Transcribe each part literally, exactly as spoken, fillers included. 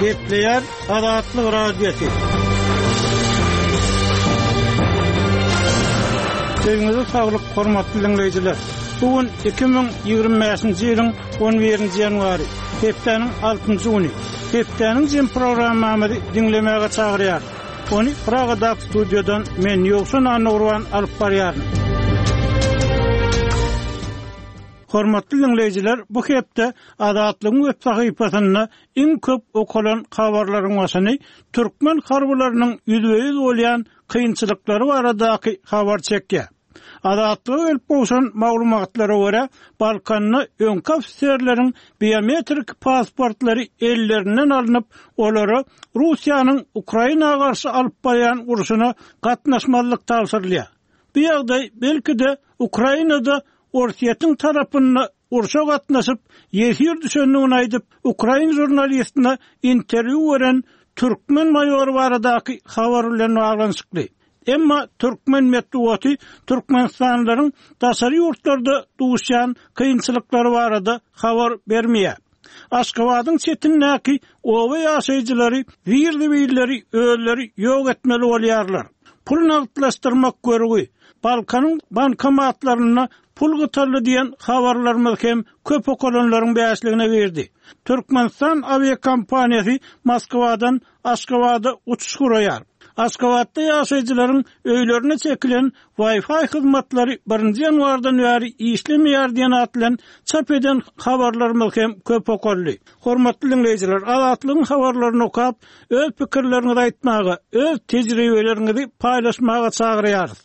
Gepleýär Azatlyk Radiosy. Sözüňize saglyk, hormatly dinleýjiler. Bu gün iki müň ýigrimi bäşinji ýylyň on birinji ýanwary, hepdäniň altynjy güni. Hepdäniň jem programmamyzy diňlemäge çagyrýar. Ony Pragadaky studiýadan men Ýowşan Annagurban alyp barýaryn. Hormatly dinleýjiler, bu hepde Azatlygyň web sahypasynda iň köp okalan habarlaryň başyny türkmen harbylarynyň ýüzbe-ýüz bolýan kynçylyklary baradaky habar çekýär. Azatlyga gelip gowşan maglumatlara görä, Balkanda öňki ofiserleriň biometrik pasportlary ellerinden alnyp, olara Russiýanyň Ukraina garşy alyp barýan urşuna gatnaşmazlyk tabşyrylýar. Bu ýagdaý belki-de Ukrainada Orsýetiň tarapynda urşa gatnaşyp, ýesir düşendigini aýdyp, ukrain žurnalistine interwýu beren türkmen maýory baradaky habar bilen baglanyşykly. Emma türkmen metbugaty Türkmenistanlylaryň daşary ýurtlarda duşýan kynçylyklary barada habar bermeýär. Aşgabadyň çetindäki oba ýaşaýjylary zir-zibilleri özleri ýok etmeli bolýarlar. Pul nagtlaşdyrmak görgi, Balkanyň bankomatlarynda pul gytaldy diýen habarlarymyz hem köp okalanlaryň bäşligine girdi. Türkmenistan awiakompaniýasy Moskwadan Aşgabada uçuş guraýar. Aşgabatda ýaşaýjylaryň öýlerine çekilen Wi-Fi hyzmatlary birinji ýanwardan bäri işlemeýär diýen at bilen çap eden habarlarymyz hem köp okaldy. Hormatly dinleýjiler, Azatlygyň habarlaryny okap, öz pikirleriňizi aýtmaga, öz tejribeleriňizi paýlaşmaga çagyrýarys.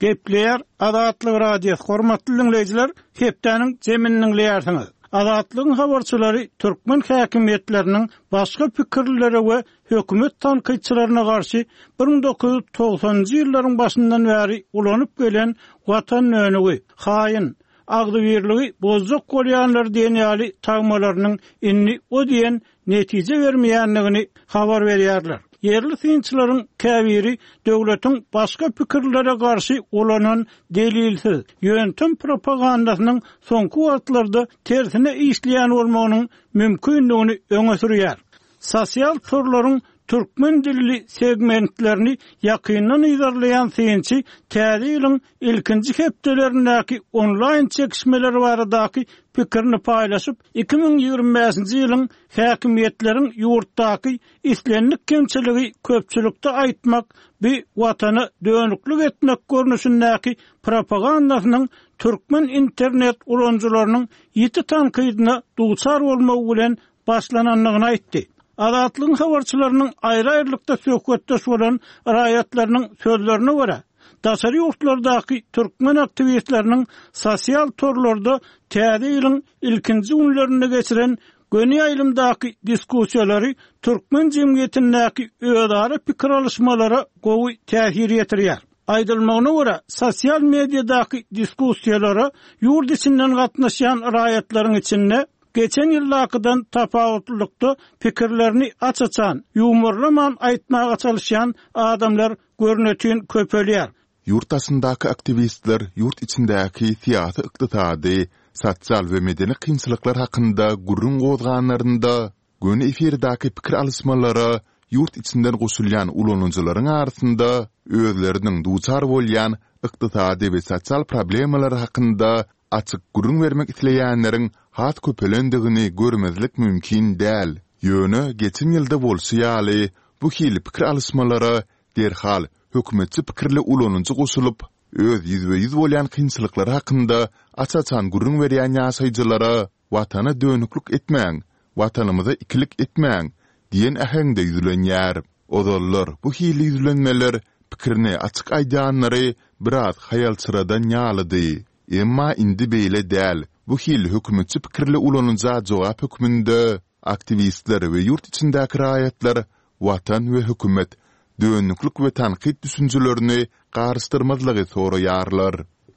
Gepleýär Azatlyk Radiosy. Hormatly dinleýjiler, hepdäniň jemini dinleýärsiňiz. Azatlygyň habarçylary türkmen häkimiýetleriniň başga pikirlere we hökümet tankytçylaryna garşy bir müň dokuz ýüz togsanynjy ýyllaryň başyndan bäri ulanyp gelen watan dönügi, haýyn, agzybirligi bozjak bolýanlar diýen ýaly tagmalarynyň indi o diýen netije bermeýändigini habar berýärler. Ýerli synçylaryň käbiri döwletiň başga pikirlere garşy ulanan delilsiz ýöntem propagandasynyň soňky wagtlarda tersine işleýän bolmagynyň mümkindigini öňe sürýär. Sosial torlaryň türkmen dilli segmentlerini ýakyndan yzarlaýan synçy täze ýylyň ilkinji hepdelerindäki onlaýn çekişmeler baradaky pikirini paýlaşyp, iki müň ýigrimi bäşinji ýylyň häkimiýetleriň ýurtdaky islendik kemçiligi köpçülikde aýtmak, bir watana dönüklik etmek görnüşindäki propagandasynyň türkmen internet ulanyjylarynyň ýiti tankydyna duçar bolmagy bilen başlanandygyny aýtdy. Azatlygyň habarçylarynyň aýry-aýrylykda söhbetdeş bolan raýatlarynyň sözlerine görä, daşary ýurtlardaky türkmen aktiwistleriniň sosial torlarda täze ýylyň ilkinji günlerinde geçiren göni ýaýlymdaky diskussiýalary türkmen jemgyýetindäki özara pikir alyşmalara gowy täsir ýetirýär. Aýdylmagyna görä, sosial mediadaky diskussiýalara ýurt içinden gatnaşýan raýatlaryň içinde geçen ýyldakydan tapawutlylykda pikirlerini aç-açan, ýuwmarlaman aýtmaga çalyşýan adamlar görnetin köpelýär. Ýurt daşyndaky aktiwistler ýurt içindäki syýasy, ykdysady, sosial we medeni kynçylyklar hakynda gürrüň gozganlarynda, göni efirdäki pikir alyşmalara ýurt içinden goşulýan ulanyjylaryň arasynda özleriniň duçar bolýan ykdysady we sosial problemalary hakynda açyk gürrüň bermek isleýänleriň has köpelendigini görmezlik mümkin däl. Ýöne geçen ýylda bolşy ýaly, bu hili pikir alyşmalara derhal hökümetçi pikirli ulanyjy goşulyp, öz ýüzbe-ýüz bolýan kynçylyklary hakynda aç-açan gürrüň berýän ýaşaýjylara Watana dönüklik etmäň, Watanymyza ikilik etmäň diýen äheňde ýüzlenýär. Ozallar bu hili ýüzlenmeler pikirini açyk aýdýanlary biraz haýalçyradan ýalydy. Emma indi beýle däl, bu hili hökümetçi pikirli ulanyja jogap hökmünde aktiwistler we ýurt içindäki raýatlar Watan we hökümet, dönüklik we tankyt düşünjelerini garyşdyrmazlygy soraýarlar.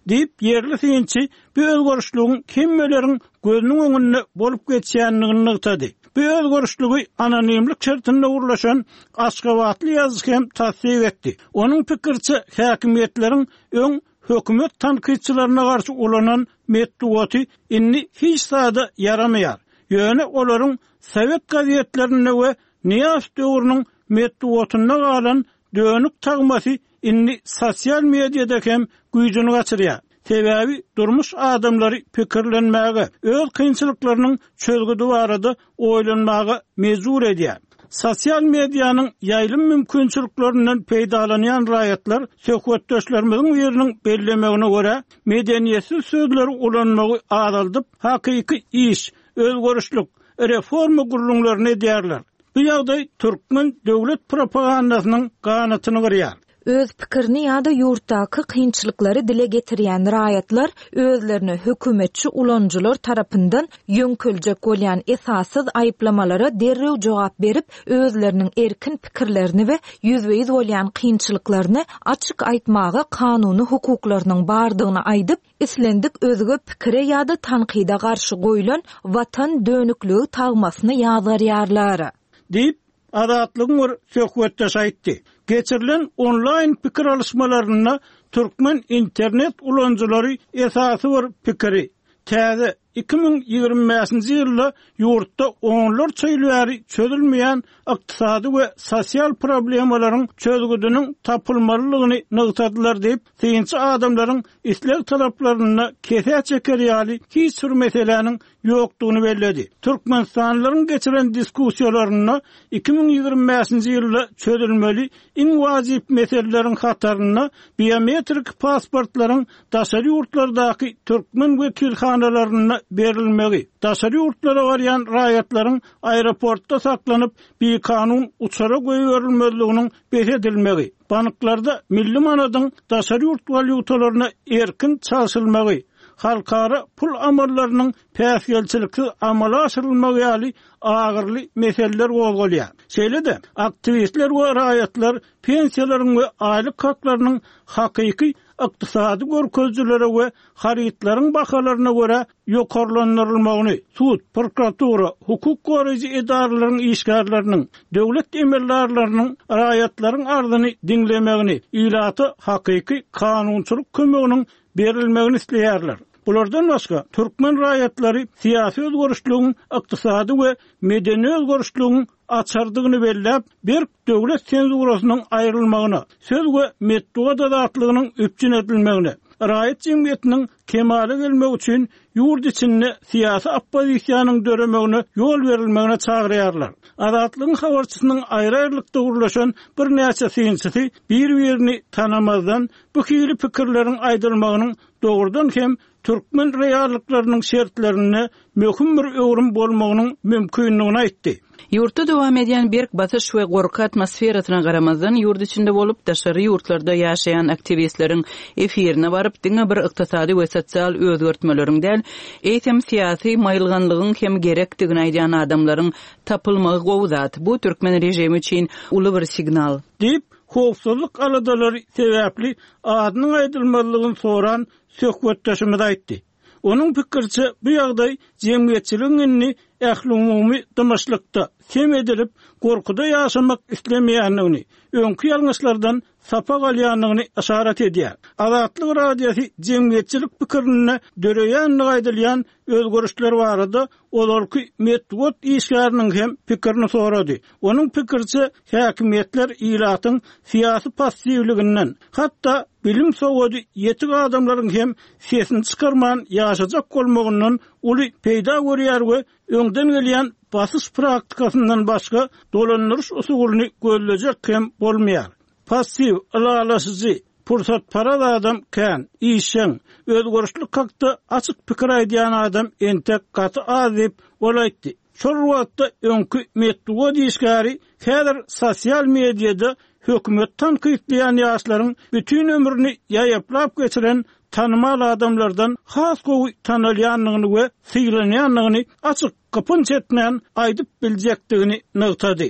Diýip, ýerli synçy bu özgerişligiň hemmeleriň gözüniň öňünde bolup geçýändigini nygtady. Bu özgerişligi anonimlik şertinde gurlaşan aşgabatly ýazyjy hem tassyk etdi. Onuň pikiriçe, häkimiýetleriň öň hökümet tankytçylaryna garşy ulanan metbugaty indi hiç zada ýaramaýar. Ýöne olaryň sowet gazetlerinde we Nyýazow döwrüniň metbugatynda galan dönük tagmasy indi sosial mediada hem güýjüni gaçyrýar. Sebäbi durmuş adamlary pikirlenmäge, öz kynçylyklarynyň çözgüdi barada oýlanmaga mejbur edýär. Sosial medianyň ýaýlym mümkinçiliklerinden peýdalanýan raýatlar söhbetdeşlerimiziň biriniň bellemegine görä, medeniýetsiz sözleri ulanmagy azaldyp, hakyky iş, özgerişlik, reforma gürrüňlerini edýärler. Bu ýagdaý türkmen döwlet propagandasynyň ganatyny gyrýar. Öz pikirini ýa-da ýurtdaky kynçylyklary dile getirýän raýatlar özlerine hökümetçi ulanyjylar tarapyndan ýöňkeljek bolýan esassyz aýyplamalara derrew jogap berip, özleriniň erkin pikirlerini we ýüzbe-ýüz bolýan kynçylyklaryny açyk aýtmaga kanuny hukuklarynyň bardygyny aýdyp, islendik özge pikire ýa-da tankyda garşy goýlan watan dönükligi tagmasyny ýazgarýarlar. Diýip, Azatlygyň bir söhbetdeşi aýtdy. Geçirilen onlaýn pikir alyşmalarynda türkmen internet ulanyjylary esasy bir pikiri, täze iki müň ýigrimi bäşinji ýylda ýurtda onlarça ýyl bäri çözülmeýän ykdysady we sosial problemalaryň çözgüdiniň tapylmalydygyny nygtadylar diýip, synçy adamlaryň isleg-talaplarynda kesä çeker ýaly hiç bir meseläniň ýokdugyny belledi. Türkmenistanlylaryň geçiren diskussiýalarynda iki müň ýigrimi bäşinji ýylda çözülmeli iň wajyp meseleleriň hatarynda biometrik pasportlaryň daşary ýurtlardaky türkmen wekilhanalarynda berilmegi, daşary ýurtlara barýan raýatlaryň aeroportda saklanyp, bikanun uçara goýberilmezliginiň bes edilmegi, banklarda milli manadyň daşary ýurt walýutalaryna erkin çalşylmagy, halkara pul amallarynyň päsgelçiliksiz amala aşyrylmagy ýaly agyrly meseleler gozgalýar. Şeýle-de, aktiwistler we raýatlar pensiýalaryň we aýlyk haklarynyň hakyky ykdysady görkezijilere we harytlaryň bahalaryna görä ýokarlandyrylmagyny, sud, prokuratura, hukuk goraýjy edaralaryň işgärleriniň, döwlet emeldarlarynyň raýatlaryň arzyny diňlemegini, ilata hakyky kanunçylyk kömeginiň berilmegini isleýärler. Bulardan başga, türkmen raýatlary syýasy özgerişligiň, ykdysady we medeni özgerişligiň açardygyny belläp, berk döwlet senzurasynyň aýrylmagyna, söz we metbugat azatlygynyň üpjün edilmegine, raýat jemgyýetiniň kemala gelmegi üçin ýurt içinde syýasy oppozisiýanyň döremegine ýol berilmegine çagyrýarlar. Azatlygyň habarçysynyň aýry-aýrylykda gürleşen birnäçe synçysy bir-birini tanamazdan bu hili pikirleriň aýdylmagynyň dogrudan hem türkmen reallyklarynyň şertlerinde möhüm bir öwrüm bolmagynyň mümkinligini aýtdy. Ýurtda dowam edýän berk basyş we gorky atmosferasyna garamazdan ýurt içinde bolup daşary ýurtlarda ýaşaýan aktiwistleriň efirine baryp diňe bir ykdysady we sosial özgertmeleriň däl, eýsem syýasy maýylganlygyň hem gerekdigini aýdýan adamlaryň tapylmagy gowy zat. Bu türkmen režimi üçin uly bir signal. Diýip, howpsuzlyk aladalary sebäpli adynyň aýdylmazlygyny soran söhbetdeşimiz aýtdy. Onuň pikiriçe bu ýagdaý jemgyýetçiligiň indi ählumumy dymyşlykda sem edilip, gorkuda ýaşamak islemeýändigini, öňki ýalňyşlardan sapak alýandygyny yşarat edýär. Azatlyk Radiosy jemgyýetçilik pikirinde döreýändigi aýdylýan özgerişler barada ozalky metbugat işgäriniň hem pikirini sorady. Onuň pikiriçe häkimiýetler ilatyň syýasy passiwliginden, hatda bilim sowady ýetik adamlaryň hem sesini çykarman ýaşajak bolmagyndan uly peýda görýär we öňden gelýän basyş praktikasyndan başga dolandyryş usulyny gözlejek hem bolmaýar. Passiw, ylalaşyjy, pursatparaz adam kän, işjeň, özgerişlik hakda açyk pikir aýdýan adam entek gaty az diýip, ol aýtdy. Şol wagtda öňki metbugat işgäri häzir sosial mediada hökümet tankytlaýan ýaşlaryň bütün ömrüni ýaýaplap geçiren tanymal adamlardan has gowy tanalýandygyny we sylanýandygyny açyk gypynç etmän aýdyp biljekdigini nygtady.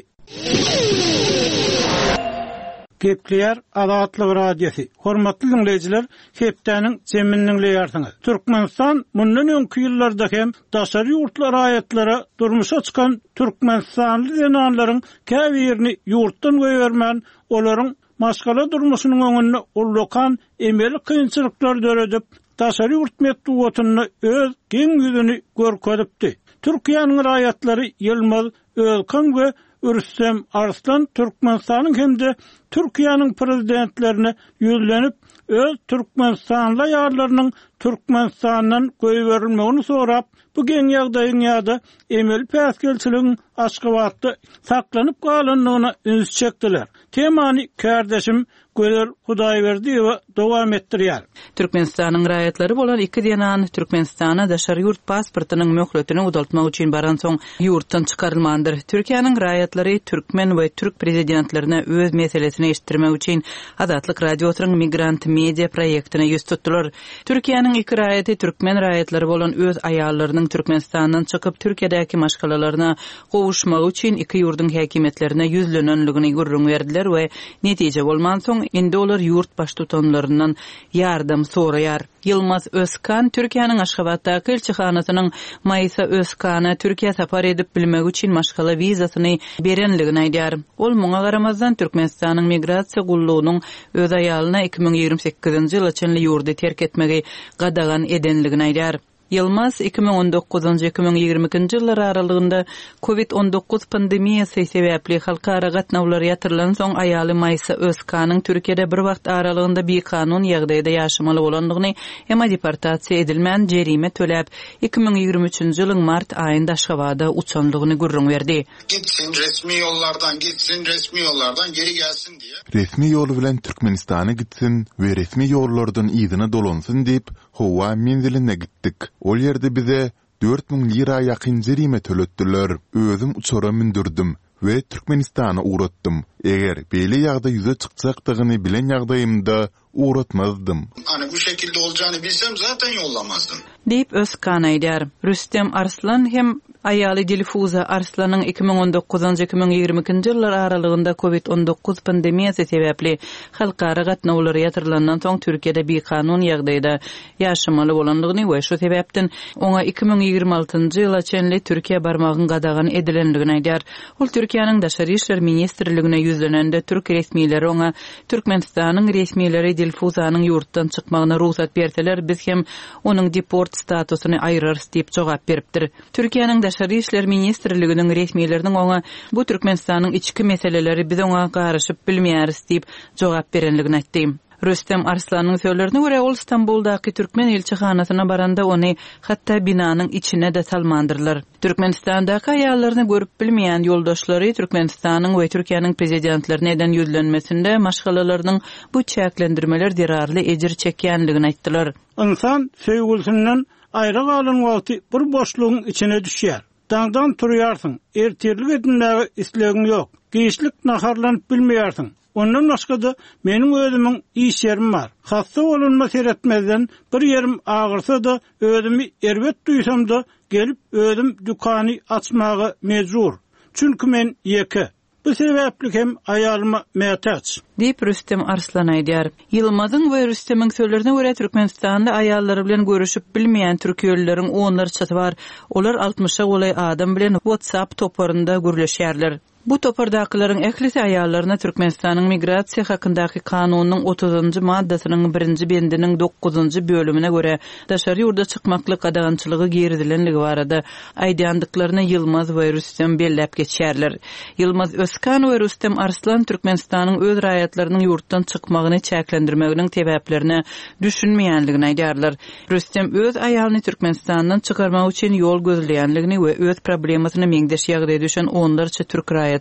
Gepleýär Azatlyk Radiosy. Hormatly dinleýjiler, hepdäniň jemini dinleýärsiňiz. Türkmenistan mundan öňki ýyllarda hem daşary ýurtly raýatlara durmuşa çykan türkmenistanly zenanlaryň käbirini ýurtdan goýbermän, olaryň maşgala durmuşynyň öňünde ullakan emeli kynçylyklar döredip, daşary ýurt metbugatynda öz geň ýüzüni görkezipdi. Türkiýäniň raýatlary Ýylmaz Özkan we Rüstem Arslan Türkmenistanyň hem-de Türkiýäniň prezidentlerine ýüzlenip, öz türkmenistanly aýallarynyň Türkmenistandan goýberilmegini sorap, bu geň ýagdaýyň ýa-da emeli päsgelçiligiň Aşgabatda saklanyp galandygyna üns çekdiler. Temany kärdeşim Gözel Hudaýberdiýewa dowam etdirýär. Türkmenistanyň raýatlary bolan iki zenan Türkmenistana daşary ýurt pasportynyň möhletini uzaltmak üçin baransoň ýurtdan çykarylmandyr. Türkiýäniň raýatlary türkmen we türk prezidentlerine öz meselesini eşitdirmek üçin Azatlyk Radiosynyň Migrant Media proýektine ýüz tutdular. Türkiýäniň iki raýaty türkmen raýatlary bolan öz aýallarynyň Türkmenistandan çykyp Türkiýedäki maşgalalaryna gowuşmagy üçin iki ýurduň häkimiýetlerine ýüzlenenligini gürrüň berdiler we netije bolmansoň indi olar ýurt baştutanlaryndan ýardam soraýar. Ýylmaz Özkan Türkiýäniň Aşgabatdaky ilçihanasynyň Maýsa Özkana Türkiýä sapar edip bilmegi üçin maşgala wizasyny berenligini aýdýar. Ol muňa garamazdan Türkmenistanyň migrasiýa gullugynyň öz aýalyna iki müň ýigrimi sekizinji ýyla çenli ýurdy terk etmegi gadagan edenligini aýdýar. Ýylmaz iki müň on dokuzynjy iki müň ýigrimi ikinji ýyllar aralygynda COVID on dokuz pandemiýasy sebäpli halkara gatnawlar ýatyrylan soň aýaly Maýsa Özkanyň Türkiýede bir wagt aralygynda bikanun ýagdaýda ýaşamaly bolandygyny, emma deportasiýa edilmän jerime töläp iki müň ýigrimi üçünji ýylyň mart aýynda Aşgabada uçandygyny gürrüň berdi. Gitsin resmi ýollardan gitsin, resmi ýollardan geri gelsin diýe. Resmi ýol bilen Türkmenistana gitsin we resmi ýollardan yzyna dolansyn diýip, howa menziline gitdik. Ol ýerde bize dört müň lira ýakyn jerime töletdiler. Özüm uçara mündürdim we Türkmenistana ugratdym. Eger beýle ýagdaý ýüze çykjakdygyny bilen ýagdaýymda ugratmazdym. Hani bu şekilde olacağını bilsem zaten yollamazdım. Diýip Özkan aýdar. Rüstem Arslan hem aýaly Dilfuza Arslanyň iki müň on dokuzynjy iki müň ýigrimi ikinji ýyllar aralygynda COVID on dokuz pandemiýasy sebäpli halkara gatnawlary ýatyrylandan soň Türkiýede bikanun ýagdaýda ýaşamaly bolandygyny we şu sebäpden oňa iki müň ýigrimi altynjy ýyla çenli Türkiýä barmagyň gadagan edilenligini aýdar. Ol Türkiýäniň Daşary işler ministrligine ýüzlenende türk resmileri oňa Türkmenistanyň resmileri Dilfuzanyň ýurtdan çykmagyna rugsat berseler, biz hem onuň deport statusyny aýyrarys diýip jogap beripdir. Türkiýäniň Daşary işler ministrliginiň resmileriniň oňa bu Türkmenistanyň içki meseleleri biz oňa garyşyp bilmeýäris diýip jogap berenligini aýtdy. Rüstem Arslanyň sözlerine görä ol Stambuldaky türkmen ilçihanasyna baranda ony hatda binanyň içine de salmandyrlar. Türkmenistandaky aýallaryny görüp bilmeýän ýoldaşlary Türkmenistanyň we Türkiýäniň prezidentlerine eden ýüzlenmesinde maşgalalarynyň bu çäklendirmeler zerarly ejir çekýänligini aýtdylar. Insan söýgüsinden aýra galan wagty bir boşlugyň içine düşýär. Daňdan turýarsyň, ertirlik edinmäge islegiň ýok. Giçlik naharlanyp bilmeýärsiň. Ondan başga da meniň özümiň iş ýerim bar. Hassa bolunma seretmezden bir ýerim agyrsa da özümi erbet duýsam da gelip özüm dükany açmaga mejbur. Çünki men ýeke. Bu sebäpli hem aýalyma mätäç. Diýip Rüstem Arslan aýdar. Ýylmazyň we Rüstemiň sözlerine görä Türkmenistanda aýallary bilen görüşip bilmeýän türkiýelileriň onlarçasy bar. Olar altmyşa golaý adam bilen WhatsApp toparynda gürleşýärler. Bu topardakylaryň ählisi aýallaryna Türkmenistanyň migrasiýa hakyndaky kanunynyň otuzynjy maddasynyň birinji bendiniň dokuzynjy bölümine görä daşary ýurda çykmaklyk gadagançylygy girizilenligi barada aýdýandyklaryny Ýylmaz we Rüstem belläp geçýärler. Ýylmaz Özkan we Rüstem Arslan Türkmenistanyň öz raýatlarynyň ýurtdan çykmagyny çäklendirmeginiň sebäplerine düşünmeýänligini aýdýarlar. Rüstem öz aýalyny Türkmenistandan çykarmak üçin ýol gözleýänligini we öz problemasyna meňzeş ýagdaýa düşen onlarça türk raýatynyň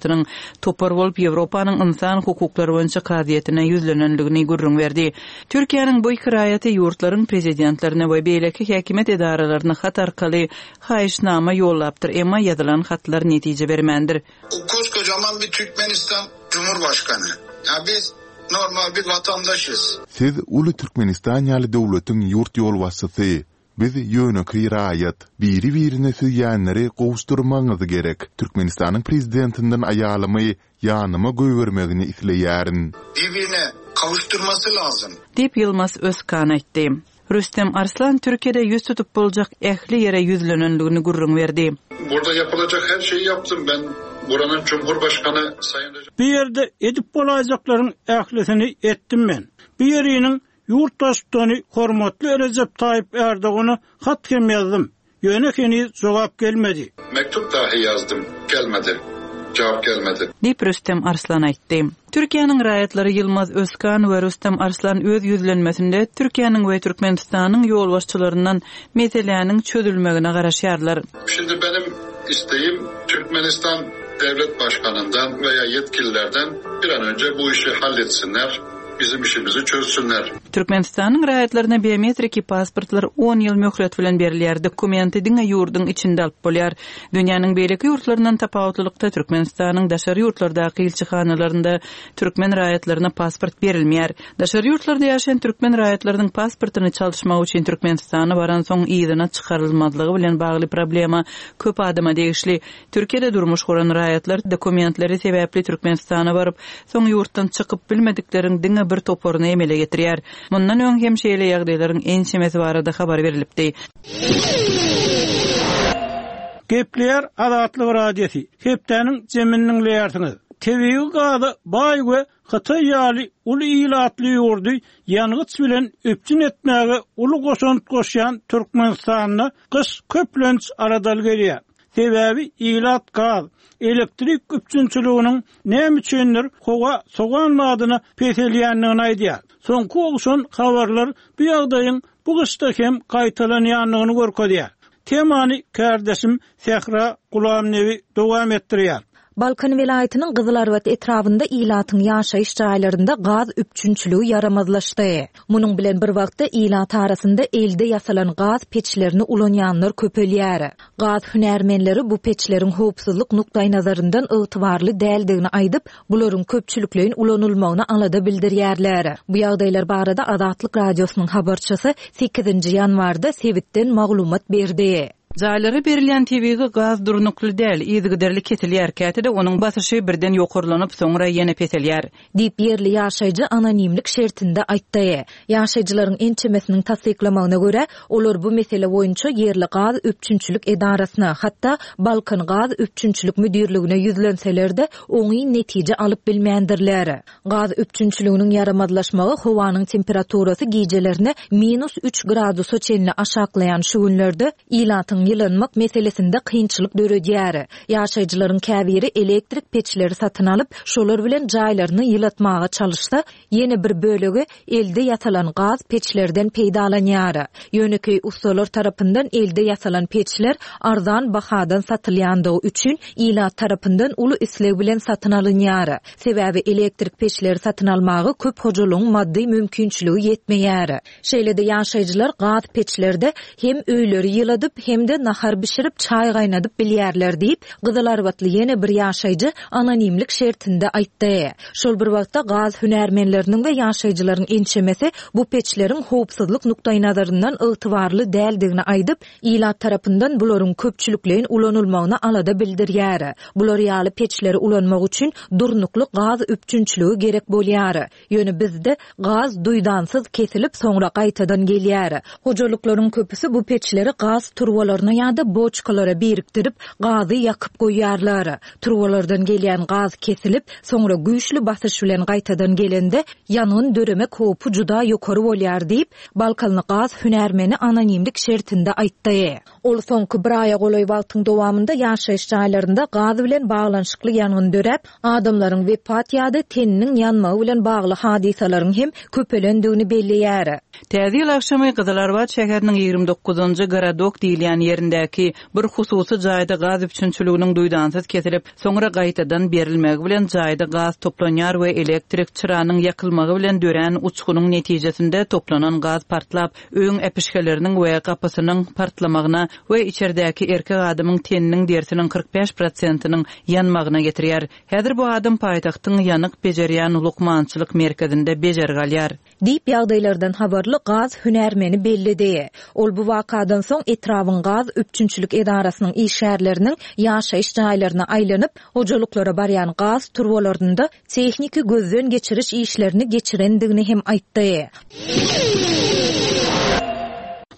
topar bolup Ýewropanyň insan hukuklary boýunça kazyýetine ýüzlenenligini gürrüň berdi. Türkiýäniň bu iki raýaty ýurtlaryň prezidentlerine we beýleki häkimiýet edaralaryna hat arkaly haýyşnama ýollapdyr, emma ýazylan hatlar netije bermändir. O koskocaman bir Türkmenistan Cumhurbaşkanı. Ya biz normal bir vatandaşız. Siz uly Türkmenistan ýaly döwletiň ýurt ýolbaşçysy. Biz ýönekeý raýat. Biri-birine söýýänleri gowuşdurmagyňyz gerek. Türkmenistanyň prezidentinden aýalymy ýanyma goýbermegini isleýärin. Birbirine kavuşturması lazım. Diýip Ýylmaz Özkan aýtdy. Rüstem Arslan Türkiýede ýüz tutup boljak ähli ýere ýüzlenenligini gürrüň berdi. Burada yapılacak her şeyi yaptım ben. Buranın Cumhurbaşkanı Sayın Recep Bir ýerde edip bolaýjaklaryň ählisini etdim men. Bir ýeriniň Ýurt baştutany hormatly Rejep Taýyp Erdogana hat hem ýazdym. Ýöne heniz jogap gelmedi. Mektup dahi ýazdym, gelmedi. Jogap gelmedi. Diýip Rüstem Arslan aýtdy. Türkiýäniň raýatlary Ýylmaz Özkan we Rüstem Arslan öz ýüzlenmesinde Türkiýäniň we Türkmenistanyň ýolbaşçylaryndan meseläniň çözülmegine garaşýarlar. Şimdi benim isteğim Türkmenistan devlet başkanından veya yetkililerden bir an önce bu işi halletsinler, bizim işimizi çözsünler. Türkmenistanyň raýatlaryna biometriki pasportlar on ýyl möhlet bilen berilýär. Dokumenti diňe ýurduň içinde alyp bolýar. Dünýäniň beýleki ýurtlaryndan tapawutlylykda Türkmenistanyň daşary ýurtlardaky ilçihanalarynda türkmen raýatlaryna pasport berilmeýär. Daşary ýurtlarda ýaşaýan türkmen raýatlarynyň pasportyny çalyşmak üçin Türkmenistana baran soň yzyna çykarylmazlygy bilen bagly problema köp adama degişli. Türkiýede durmuş guran raýatlar dokumentleri sebäpli Türkmenistana baryp, soň ýurtdan çykyp bilmedikleriň diňe bir toparyny emele getirýär. Mundan öň hem şeýle ýagdaýlaryň ençemesi barada habar berilipdi. Gepleýär Azatlyk Radiosy. Hepdäniň jemini diňleýärsiňiz. Tebigy gaza baý we Hytaý ýaly uly ilatly ýurdy ýangyç bilen üpjün etmäge uly goşant goşýan Türkmenistanda gyş köplenç aradal gelýär. Sebäbi ilat gaz, elektrik üpjünçiliginiň näme üçindir howa sogan badyna peselýändigini aýdýar. Soňky ogşan habarlar bu ýagdaýyň bu gyşda hem gaýtalanýandygyny görkezýär. Temany kardeşim Sähra Gulamnewi dowam etdirýär. Balkan welaýatynyň Gyzylarbat etrabynda ilatyň ýaşaýyş jaýlarynda gaz üpjünçiligi ýaramazlaşdy. Munuň bilen bir wagtda ilat arasynda elde ýasalan gaz peçlerini ulanýanlar köpelýär. Gaz hünärmenleri bu peçleriň howpsuzlyk nukdaýnazaryndan ygtybarly däldigini aýdyp, bularyň köpçülikleýin ulanylmagyna alada bildirýärler. Bu ýagdaýlar barada Azatlyk Radiosynyň habarçysy sekizinji ýanwarda sebitden maglumat berdi. Jaýlara berilýän tebigy gaz durnukly däl, yzygiderli kesilýär. Käte-de onuň basyşy birden ýokarlanyp, soňra ýene peselýär. Diýip ýerli ýaşaýjy anonimlik şertinde aýtdy. Ýaşaýjylaryň ençemesiniň tassyklamagyna görä, olar bu mesele boýunça ýerli gaz üpjünçilik edarasyna, hatda Balkan gaz üpjünçilik müdirligine ýüzlenseler-de, oňyn netije alyp bilmändirler. Gaz üpjünçiliginiň ýaramazlaşmagy howanyň temperaturasy gijelerine minus üç gradusa çenli aşaklaýan şu günlerde ilatyň ýylanmak meselesinde kynçylyk döredýär. Ýaşaýjylaryň käbiri elektrik peçleri satyn alyp, şolar bilen jaýlaryny ýylatmaga çalyşsa, ýene bir bölegi elde ýasalan gaz peçlerden peýdalanýar. Ýönekeý ustalar tarapyndan elde ýasalan peçler arzan bahadan satylýandygy üçin ilat tarapyndan uly isleg bilen satyn alynýar. Sebäbi elektrik peçleri satyn almaga köp hojalygyň maddy mümkinçiligi ýetmeýär. Şeýle-de ýaşaýjylar gaz peçlerde hem öýleri ýyladyp, hem-de nahar bişirip çaý gaýnadyp bilýärler diýip, Gyzylarbatly ýene bir ýaşaýjy anonimlik şertinde aýtdy. Şol bir wagtda gaz hünärmenleriniň we ýaşaýjylaryň ençemesi bu peçleriň howpsuzlyk nukdaýnazaryndan ygtybarly däldigini aýdyp, ilat tarapyndan bularyň köpçülikleýin ulanylmagyna alada bildirýär. Bular ýaly peçleri ulanmak üçin durnukly gaz üpjünçiligi gerek bolýar. Ýöne bizde gaz duýdansyz kesilip soňra gaýtadan gelýär. Hojalyklaryň köpüsi bu peçleri gaz turbalaryna ýa-da boçkalara birikdirip gazy ýakyp goýýarlar. Turbalardan gelýän gaz kesilip, soňra güýçli basyş bilen gaýtadan gelende ýangyn döremek howpy juda ýokary bolýar diýip, Balkanly gaz hünärmeni anonimlik şertinde aýtdy. Ol soňky bir aýa golaý wagtyň dowamynda ýaşaýyş jaýlarynda gaz bilen baglanyşykly ýangyn döräp, adamlaryň wepat ýa-da teniniň ýanmagy bilen bagly hadysalaryň hem köpelendigini belleýär. Täze ýyl agşamy Gyzylarbat şäheriniň ýigrimi dokuzynjy Gorodok diýilýän ýerindäki bir hususy jaýda gaz üpjünçiliginiň duýdansyz kesilip, soňra gaýtadan berilmegi bilen jaýda gaz toplanýar we elektrik çyranyň ýakylmagy bilen dörän uçgunyň netijesinde toplanan gaz partlap, öýüň äpişgeleriniň we gapysynyň partlamagyna we içerdäki erkek adamyň teniniň derisiniň kyrk bäş prosentiniň ýanmagyna getirýär. Häzir bu adam paýtagtyň ýanyk bejerýän lukmançylyk merkezinde bejergi alýar. Diýip ýagdaýlardan habarly gaz hünärmeni belledi. Ol bu wakadan soň etrabyň gaz üpjünçilik edarasynyň işgärleriniň ýaşaýyş jaýlaryna aýlanyp, hojalyklara barýan gaz turbalarynda tehniki gözden geçiriş işlerini geçirendigini hem aýtdy.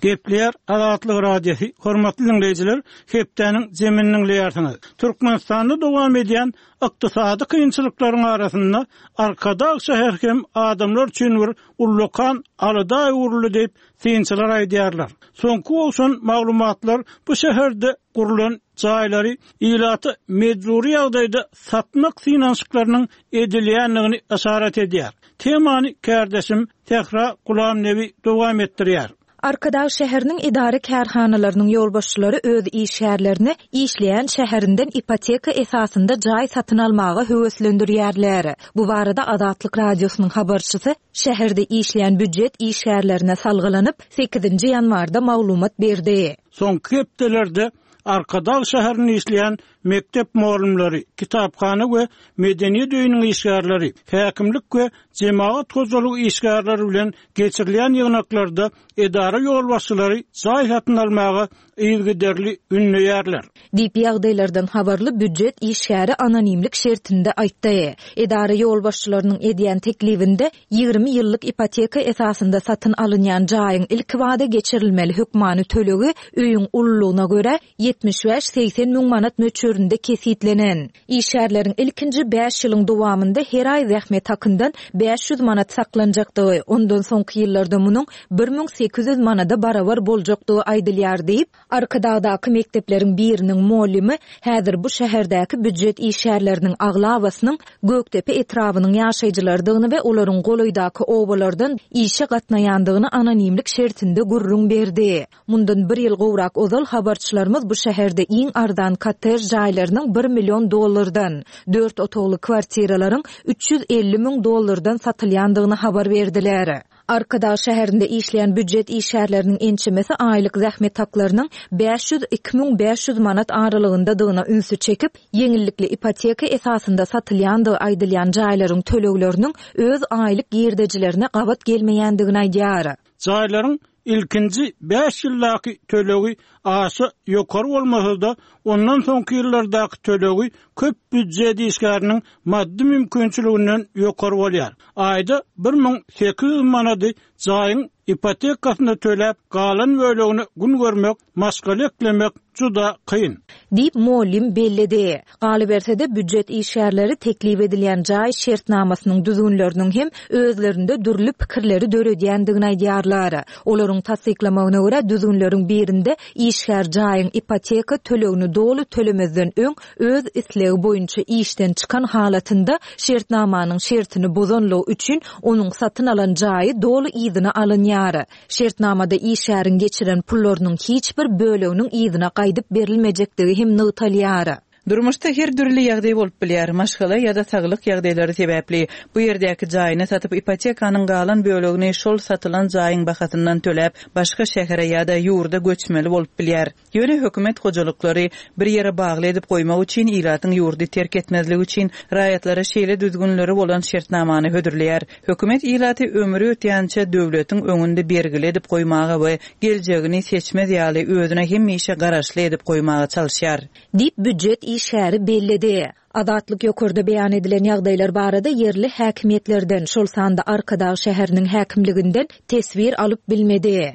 Gepleýär Azatlyk Radiosy, hormatly dinleýjiler, hepdäniň jemini dinleýärsiňiz. Türkmenistanda dowam edýän ykdysady kynçylyklaryň arasynda Arkadag şäheri hem adamlar üçin bir ullakan alada öwrüldi diýip synçylar aýdýarlar. Soňky gowşan maglumatlar bu şäherde gurulan jaýlary ilata mejbury ýagdaýda satmak synanyşyklarynyň edilýändigini işaret edýär. Temany kärdeşim Sähra Gulamnebi dowam etdirýär. Arkadag şäheriniň edara kärhanalarynyň ýolbaşçylary öz işgärlerini işleýän şäherinden ipoteka esasynda jaý satyn almaga höweslendirýärler. Bu barada Azatlyk Radiosynyň habarçysy şäherde işleýän býujet işgärlerine salgylanyp sekizinji ýanwarda maglumat berdi. Soňky hepdelerde Arkadag şäherinde işleýän mekdep mugallymlary, kitaphana we medeniýet öýüniň işgärleri, häkimlik we jemagat hojalygy işgärleri bilen geçirilýän ýygnaklarda edara ýolbaşçylary jaý satyn almaga yzygiderli ündeýärler. Diýip ýagdaýlardan habarly býujet işgäri anonimlik şertinde aýtdy. Edara ýolbaşçylarynyň edýän teklibinde ýigrimi ýyllyk ipoteka esasynda satyn alynýan jaýyň ilki wada geçirilmeli hökmany tölegi öýüň ululygyna görä ýetmiş bäş segsen müň manat möçberinde kesitlenen. Işgärleriň ilkinji bäş ýylyň dowamynda her aý zähmet hakyndan bäş ýüz manat saklanjakdygy, ondan soňky ýyllarda munuň bir müň sekiz ýüz manada barabar boljakdygy aýdylýar diýip, Arkadagdaky mekdepleriň biriniň muallymy häzir bu şäherdäki býujet işgärleriniň aglabasynyň Gökdepe etrabynyň ýaşaýjylarydygyny we olaryň golaýdaky obalardan işe gatnaýandygyny anonimlik şertinde gürrüň berdi. Mundan bir ýyl gowrak ozal habarçylarymyz bu şäherde iň arzan kottej jaýlarynyň bir million dollardan, dört otagly kwartiralaryň üç ýüz elli müň dollardan satylýandygyny habar berdiler. Arkadag şäherinde işleýän býujet işgärleriniň ençemesi aýlyk zähmet haklarynyň bäş ýüz iki müň bäş ýüz manat aralygyndadygyna ünsi çekip, ýeňillikli ipoteka esasynda satylýandygy aýdylýan jaýlaryň tölegleriniň öz aýlyk girdejilerine gabat gelmeýändigini aýdýar. Jaýlaryň ilkinji bäş ýyldaky tölegi aşa ýokary bolmasa-da, ondan soňky ýyllardaky tölegi köp býujet işgäriniň maddy mümkinçiliginden ýokary bolýar. Aýda bir müň sekiz ýüz manady jaýyň ipotekasyny töläp, galan bölegini gün görmek, maşgala eklemek juda kyn. Diýip muallim belledi. Galyberse-de býujet işgärleri teklip edilýän jaý şertnamasynyň düzgünleriniň hem özlerinde dürli pikirleri döredýändigini aýdýarlar. Olaryň tassyklamagyna görä düzgünleriň birinde işgär jaýyň ipoteka tölegini doly tölemezden öň öz islegi boýunça işden çykan halatynda şertnamanyň şertini bozanlygy üçin onuň satyn alan jaýy doly yzyna alynýar. Şertnamada işgäriň geçiren pullarynyň hiç bir böleginiň yzyna gaýdyp berilmejekdigi hem nygtalýar. Durmuşda her dürli ýagdaý bolup bilýär. Maşgala ýa-da saglyk ýagdaýlary sebäpli bu ýerdäki jaýyny satyp ipotekanyň galan bölegini şol satylan jaýyň bahasyndan töläp başga şähere ýa-da ýurda göçmeli bolup bilýär. Ýöne hökümet hojalyklary bir ýere bagly edip goýmak üçin ilatyň ýurdy terk etmezligi üçin raýatlara şeýle düzgünleri bolan şertnamany hödürleýär. Hökümet ilaty ömri ötýänçe döwletiň öňünde bergili edip goýmaga we geljegini seçmez ýaly özüne hemişe garaşly edip goýmaga çalyşýar. Diýip býujet işgäri belledi. Azatlyk ýokarda beýan edilen ýagdaýlar barada ýerli häkimiýetlerden, şol sanda Arkadag şäheriniň häkimliginden teswir alyp bilmedi.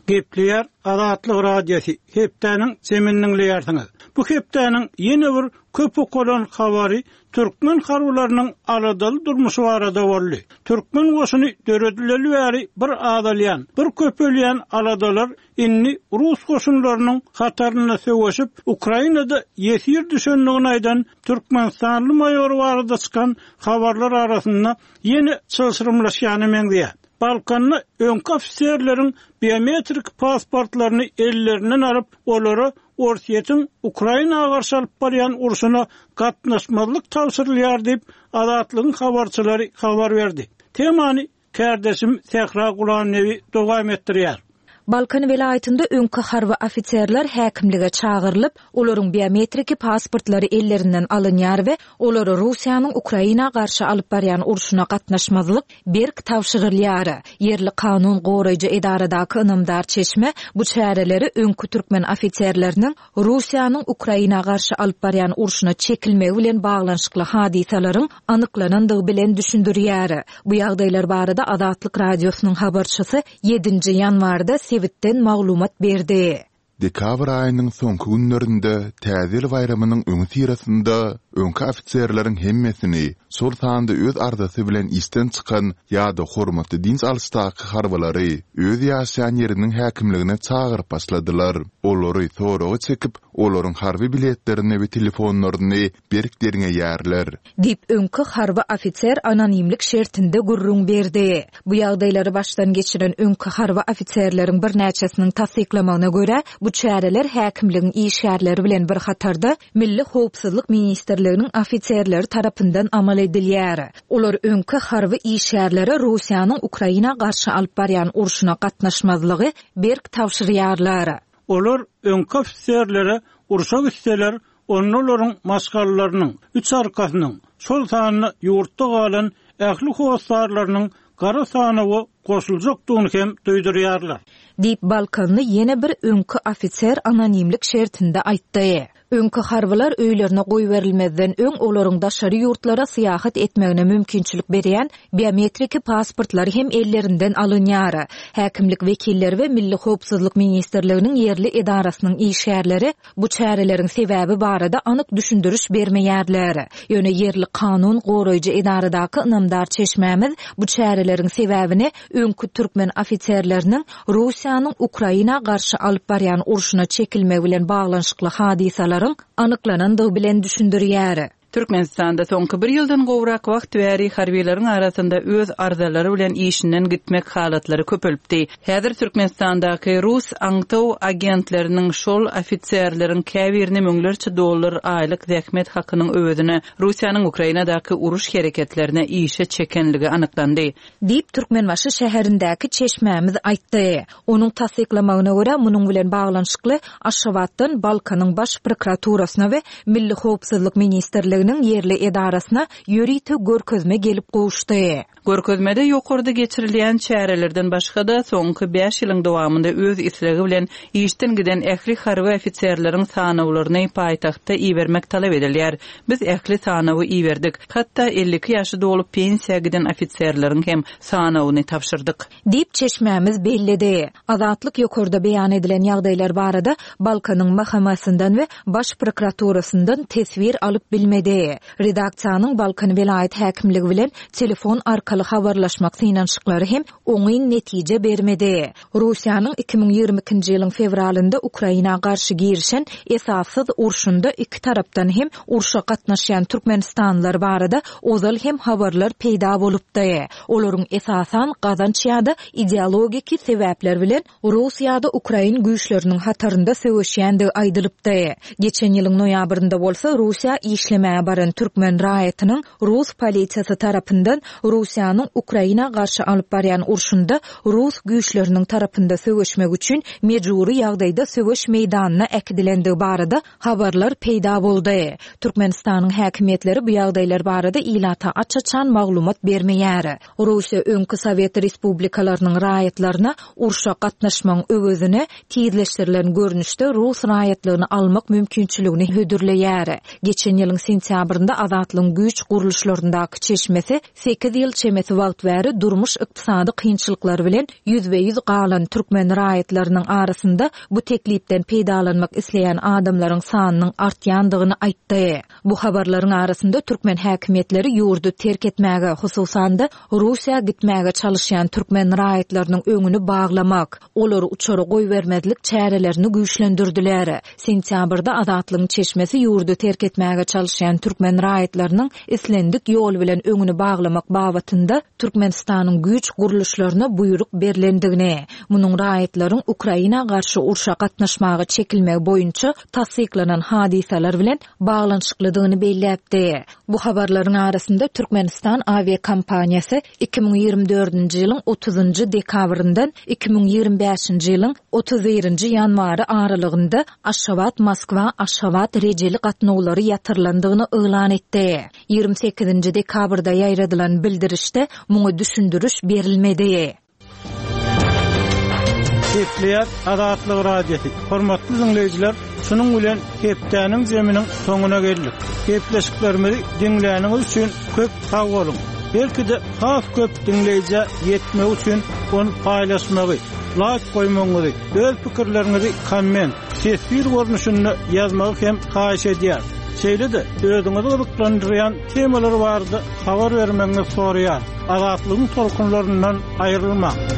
Gepleýär Azatlyk Radiosy, hepdäniň jemini dinleýärsiňiz. Bu hepdäniň ýene bir köp okalan habary türkmen harbylarynyň aladaly durmuşy barada boldy. Türkmen goşuny döredileli bäri bir azalýan, bir köpelýän aladalar indi Rus goşunlarynyň hatarynda söweşip, Ukrainada ýesir düşendigini aýdan Türkmenistanly maýor barada çykan habarlar arasynda ýene çylşyrymlaşýany meňzeýär. Balkanda öňki ofiserleriň biometrik pasportlaryny ellerinden alyp, olara Orsýetiň Ukraina garşy alyp barýan urşuna gatnaşmazlyk tabşyrylýar diýip Azatlygyň habarçylary habar berdi. Temany kärdeşim Sähra Gulamnebi dowam etdirýär. Balkan welaýatynda öňki harby ofiserler häkimlige çagyrylyp, olaryň biometriki pasportlary ellerinden alynýar we olara Russiýanyň Ukraina garşy alyp barýan urşuna gatnaşmazlyk berk tabşyrylýar. Ýerli kanun goraýjy edaradaky ynamdar çeşme bu çäreleri öňki türkmen ofiserleriniň Russiýanyň Ukraina garşy alyp barýan urşuna çekilmegi bilen baglanyşykly hadysalaryň anyklanandygy bilen düşündirýär. Bu ýagdaýlar barada Azatlyk Radiosynyň habarçysy ýedinji ýanwarda sebitden maglumat berdi. Dekabr aýynyň soňky günlerinde Täze ýyl baýramynyň öňüsyrasynda öňki ofiserleriň hemmesini, şol sanda öz arzasy bilen işden çykan ýa-da hormatly dynç alyşdaky harbylary öz ýaşaýan ýeriniň häkimligine çagyryp başladylar. Olary soraga çekip, olaryň harby biletlerini we telefonlaryny berk derňeýärler. Diýip, öňki harby ofiser anonimlik şertinde gürrüň berdi. Bu ýagdaýlary başdan geçiren öňki harby ofiserleriň birnäçesiniň tassyklamagyna görä, bu çäreler häkimligiň işgärleri bilen bir hatarda Milli howpsuzlyk ministrliginiň ofiserleri tarapyndan amal edilýär. Olar öňki harby işgärlere Russiýanyň Ukraina garşy alyp barýan urşuna gatnaşmazlygy berk tabşyrýarlar. Olar öňki ofiserlere urşa gitseler, onda olaryň maşgalalarynyň, üç arkasynyň, şol sanda ýurtda galan ähli hossarlarynyň gara sanawa goşuljakdygyny hem duýdurýarlar. Diýip, Balkanly ýene bir öňki ofiser anonimlik şertinde aýtdy. Öňki harbylar öýlerine goýberilmezden öň olaryň daşary ýurtlara syýahat etmegine mümkinçilik berýän biometriki pasportlary hem ellerinden alynýar. Häkimlik wekilleri we Milli howpsuzlyk ministrliginiň ýerli edarasynyň işgärleri bu çäreleriň sebäbi barada anyk düşündiriş bermeýärler. Ýöne ýerli kanun goraýjy edaradaky ynamdar çeşmämiz bu çäreleriň sebäbini öňki türkmen ofiserleriniň Russiýanyň Ukraina garşy alyp barýan urşuna çekilmegi bilen baglanyşykly hadysalaryň anyklanandygy bilen düşündirýär. Türkmenistanda soňky bir ýyldan gowrak wagt bäri harbiýlaryň arasynda öz arzalary bilen işinden gitmek halatlary köpelipdi. Häzir Türkmenistandaky rus aňtaw agentleriniň şol ofiserleriň käbirini müňlerçe dollar aýlyk zähmet hakynyň öwezine Russiýanyň Ukrainadaky uruş hereketlerine işe çekenligi anyklandy. Diýip, Türkmenbaşy şäherindäki çeşmämiz aýtdy. Onuň tassyklamagyna görä, munuň bilen baglanyşykly Aşgabatdan Balkanyň Baş prokuraturasyna we Milli howpsuzlyk ministrliginiň ýerli edarasyna ýörite görkezme gelip gowuşdy. Görkezmede ýokarda geçirilýän çärelerden başga-da soňky bäş ýylyň dowamynda öz islegi bilen işden giden ähli harby ofiserleriň sanawlaryny paýtagtda ibermek talap edilýär. Biz ähli sanawy iberdik. Hatda elli iki ýaşy dolup pensiýa giden ofiserleriň hem sanawyny tabşyrdyk. Diýip, çeşmämiz belledi. Azatlyk ýokarda beýan edilen ýagdaýlar barada Balkanyň M H M-sinden we Baş prokuraturasyndan teswir alyp bilmedi. Redaksiýanyň Balkan welaýat häkimligi bilen telefon arkaly habarlaşmak synanyşyklary hem oňyn netije bermedi. Russiýanyň iki müň ýigrimi ikinji ýylyň fewralynda Ukraina garşy girişen esassyz urşunda iki tarapdan hem urşa gatnaşýan Türkmenistanlylar barada ozal hem habarlar peýda bolupdy. Olaryň esasan gazanç ýa-da ideologiki sebäpler bilen Rus ýa-da Ukrain güýçleriniň hatarynda söweşýändigi aýdylypdy. Geçen ýylyň noýabrynda bolsa Russiýa işlemäge baran türkmen raýatynyň Rus polisiýasy tarapyndan Russiýanyň Ukraina garşy alyp barýan urşunda Rus güýçleriniň tarapynda söweşmek üçin mejbury ýagdaýda söweş meýdanyna äkidilendigi barada habarlar peýda boldy. Türkmenistanyň häkimiýetleri bu ýagdaýlar barada ilata aç-açan maglumat bermeýär. Russiýa öňki Sowet Respublikalarynyň raýatlaryna urşa gatnaşmagyň öwezine tizleşdirilen görnüşde Rus raýatlygyny almak mümkinçiligini hödürleýär. Geçen ýylyň sentýabrynda Azatlygyň güýç gurluşlaryndaky çeşmesi sekiz ýyl çemesi wagt bäri durmuş ykdysady kynçylyklary bilen ýüzbe-ýüz galan türkmen raýatlarynyň arasynda bu teklipden peýdalanmak isleýän adamlaryň sanynyň artýandygyny aýtdy. Bu habarlaryň arasynda türkmen häkimiýetleri ýurdy terk etmäge, hususan-da Russiýa gitmäge çalışýan türkmen raýatlarynyň öňüni baglamak, olary uçara goýbermezlik çärelerini güýçlendirdiler. Sentýabrda Azatlygyň çeşmesi ýurdy terk etmäge çalışýan gatnaşýan türkmen raýatlarynyň islendik ýol bilen öňüni baglamak babatynda Türkmenistanyň güýç gurluşlaryna buýruk berlendigini, munuň raýatlaryň Ukraina garşy urşa gatnaşmaga çekilmegi boýunça tassyklanan hadysalar bilen baglanyşyklydygyny belläpdi. Bu habarlaryň arasynda Türkmenistan awiakompaniýasy iki müň ýigrimi dördünji ýylyň otuzynjy dekabryndan iki müň ýigrimi bäşinji ýylyň otuz birinji ýanwary aralygynda Aşgabat-Moskwa-Aşgabat rejeli gatnawlary ýatyrylandygyny yglan etdi. Ýigrimi sekizinji dekabrda ýaýradylan bildirişde muňa düşündiriş berilmedi. Gepleýär Azatlyk Radiosy. Hormatly dinleýjiler, şunuň bilen hepdäniň zeminiň soňuna geldik. Gepleşiklerimizi diňläniňiz üçin köp sag boluň. Belki-de has köp dinleýjä ýetmek üçin ony paýlaşmagy, like goýmagyňyzy, öz pikirleriňizi komment, teswir görnüşinde ýazmagy hem haýyş edýär. Şeýle-de özüňizi gyzyklandyrýan temalar barada habar bermegiňizi soraýar. Azatlygyň tolkunlaryndan aýrylmaň.